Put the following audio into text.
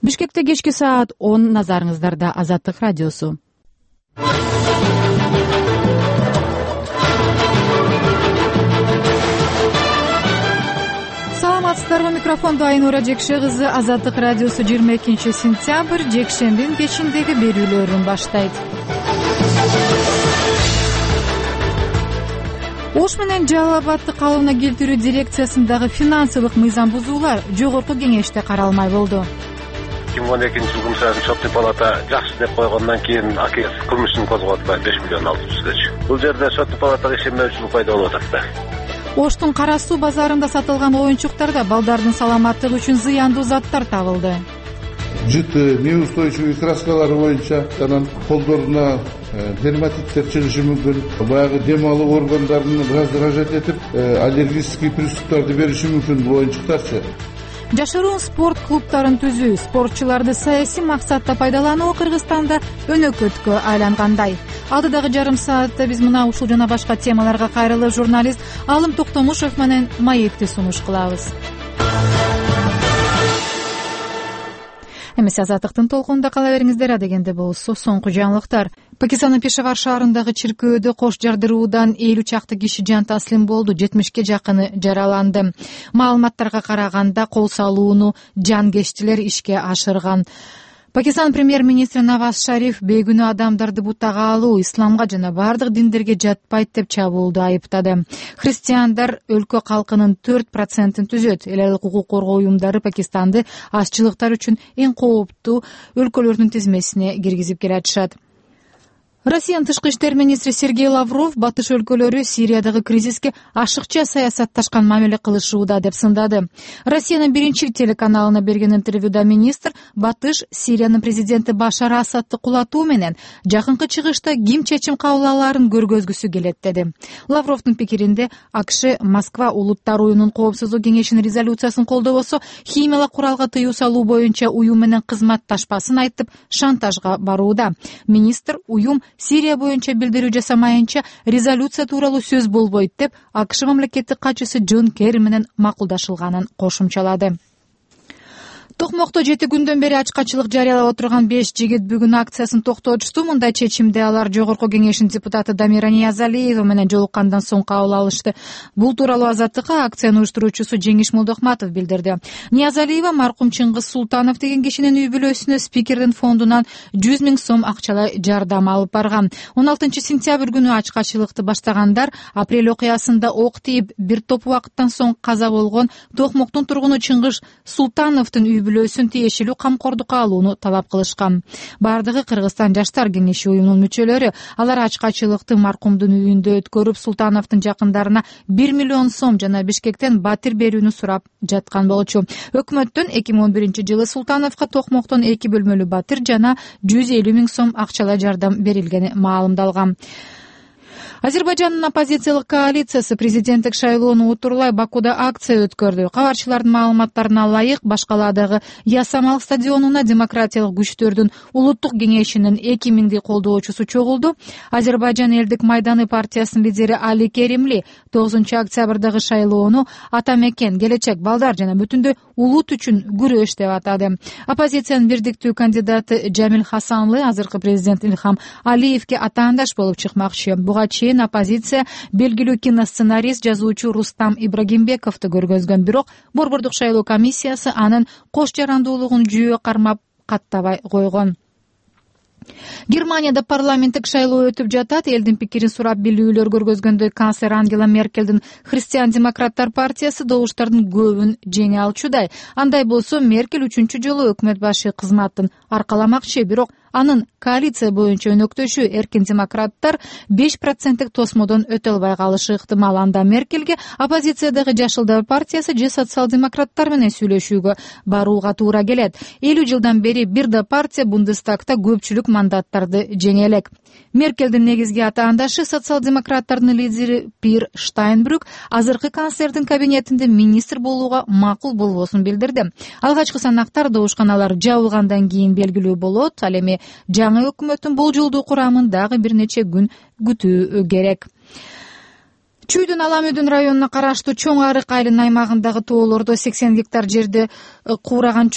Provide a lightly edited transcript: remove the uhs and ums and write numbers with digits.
Бишкекте кечки саат 10, назарыңыздарда Азаттык радиосу. Саламатсыздарбы, микрофонду Айнура Жекше кызы. Азаттык радиосу 22 сентябрь жекшембинин кечиндеги берүүлөрүн баштайт. Ош менен Жалал Абадты калыбына келтирүү дирекциясындагы финансылык мыйзам бузуулар жогорку кеңеште каралмай болду. 2012 жылы Соттук палата жакшы деп койгондон кийин АКС кылмышын козготпай 5 миллион алып түшкөч. Бул жерде Соттук палатага ишенмөөчүлүк пайда болуп атат да. Оштун Кара суу базарында сатылган оюнчуктарда балдардын саламаттыгы үчүн зыяндуу заттар табылды. Жыты, неустойчивый краскалары боюнча анан колдоруна дерматиттер чыгышы мүмкүн. Баягы дем алуу органдарын раздражать этип, аллергический приступтарды бериши мүмкүн бул оюнчуктарчы. Жашыруун спорт клубтарын түзүү, спортчуларды саясий максатта пайдалануу Кыргызстанда өнөкөткө айлангандай. Алдыдагы жарым саатта биз мына ушул жана башка темаларга кайрылып, журналист Алым Токтомушев менен маекти сунуш кылабыз. Эмесе Азаттыктын толкунунда кала бериңиздер. Адегенде болсо соңку жаңылыктар. Пакистандын Пешавар шаарындагы чиркөөдө кош жардыруудан 50 чакты киши жан таслим болду, 70ке жакыны жараланды. Маалыматтарга караганда кол салууну жанкечтилер ишке ашырган. Пакистан премьер-министри Наваз Шариф бейгүнөө адамдарды бутага алуу исламга жана бардык диндерге жатпайт деп чабуулду айыптады. Христиандар өлкө калкынын 4% түзөт. Эл айыл укук коргоо уюмдары Пакистанды ашчылыктар үчүн эң кооптуу өлкөлөрдүн тизмесине киргизип келатышат. Россиянын тышкы иштер министри Сергей Лавров батыш өлкөлөрү Сириядагы кризиске ашыкча саясатташкан мамиле кылышууда деп сындады. Россиянын биринчи телеканалына берген интервьюда министр батыш Сириянын президенти Башар Асадты кулатуу менен жакынкы чыгышта ким чечим кабыл алаарын көргөзгүсү келет деди. Лавровдун пикиринде АКШ Москва улуттар уюмунун коопсуздук кеңешинин резолюциясын колдобосо, химиялык куралга тыюу салуу боюнча уюм менен кызматташпасын айтып, шантажга барууда. Министр уюм Сирия боюнча билдирүү жасамайынча резолюция тууралуу сөз болбойт деп АКШ мамлекеттик катчысы Джон Керри менен макулдашылганын кошумчалады. Токмокто 7 күндөн бери ачкачылык жарыялап отурган 5 жигит бүгүн акциясын токтотушту. Мындай чечимди алар жогорку кеңештин депутаты Дамира Ниязалиева менен жолуккандан соң кабыл алышты. Бул тууралуу Азаттыкка акциянын уюштуруучусу Жеңиш Молдохматов билдирди. Ниязалиева маркум Чыңгыз Султанов деген кишинин үй бүлөсүнө спикердин фондунан 100 000 сом акчалай жардам алып барган. 16 сентябрь күнү ачкачылыкты баштагандар апрель окуясында ок тийип бир топ убакыттан соң каза болгон Токмоктун тургуну Чыңгыз Султановдун үй бүлөсүн тиешелүү камкордукка алууну талап кылышкан. Бардыгы Кыргызстан жаштар кеңеши уюмунун мүчөлөрү. Алар ачкачылыкты маркумдун үйүндө өткөрүп, Султановдун жакындарына 1 миллион сом жана Бишкектен батир берүүнү сурап жаткан болчу. Өкмөттөн 2011 жылы Султановго Токмоктон 2 бөлмөлүү батир жана 150 000 сом акчалай жардам берилгени маалымдалган. Азербайжандын оппозициялык коалициясы президенттик шайлоону утурлай Бакуда акция өткөрдү. Кабарчылардын маалыматтарына ылайык, Башкаладагы Ясамал стадионуна демократиялык күчтөрдүн улуттук кеңешинин 2000 колдоочусу чогулду. Азербайжан элдик майданы партиясынын лидери Али Керимли 9 октябрдагы шайлоону ата мекен, келечек, балдар жана бүтүндөй улут үчүн күрөш деп атады. Оппозициянын бирдиктүү кандидаты Жамил Хасанлы азыркы президент Илхам Алиевке атаандаш болуп чыкмакчы. Буга чейин оппозиция белгилүү киносценарист, жазуучу Рустам Ибрагимбековду көргөзгөн, бирок Борбордук шайлоо комиссиясы анын кош жарандуулугун жүйө кармап каттабай койгон. Германияда парламенттик шайлоо өтүп жатат. Элдин пикирин сурап билүүлөр көргөзгөндөй канцлер Ангела Меркелдин христиан-демократтар партиясы добуштардын көбүн жеңе алчудай. Андай болсо Меркель 3-чү жолу өкмөт башы кызматын аркаламакчы, бирок анын коалиция боюнча өнөктөшү эркин демократтар 5% тосмодон өтө албай калышы ыктымал. Анда Меркельге оппозициядагы Жашылдар партиясы же социал-демократтар менен сүйлөшүүгө барууга туура келет. 50 жылдан бери бир да партия Бундестагта көпчүлүк мандаттарды жеңе элек. Меркелдин негизги атаандашы социал-демократтардын лидери Пир Штайнбрюк азыркы канцлердин кабинетинде министр болууга макул болбосун билдирди. Алгачкы санактар добушканалар жабылгандан кийин белгилүү болот. Ал эми жаңы өкмөттүн бул жолдуу курамын дагы бир нече күн күтүү керек. Чүйдүн Аламүдүн районуна караштуу Чоң Арык айылынын аймагындагы тоолордо 80 гектар жерди куураган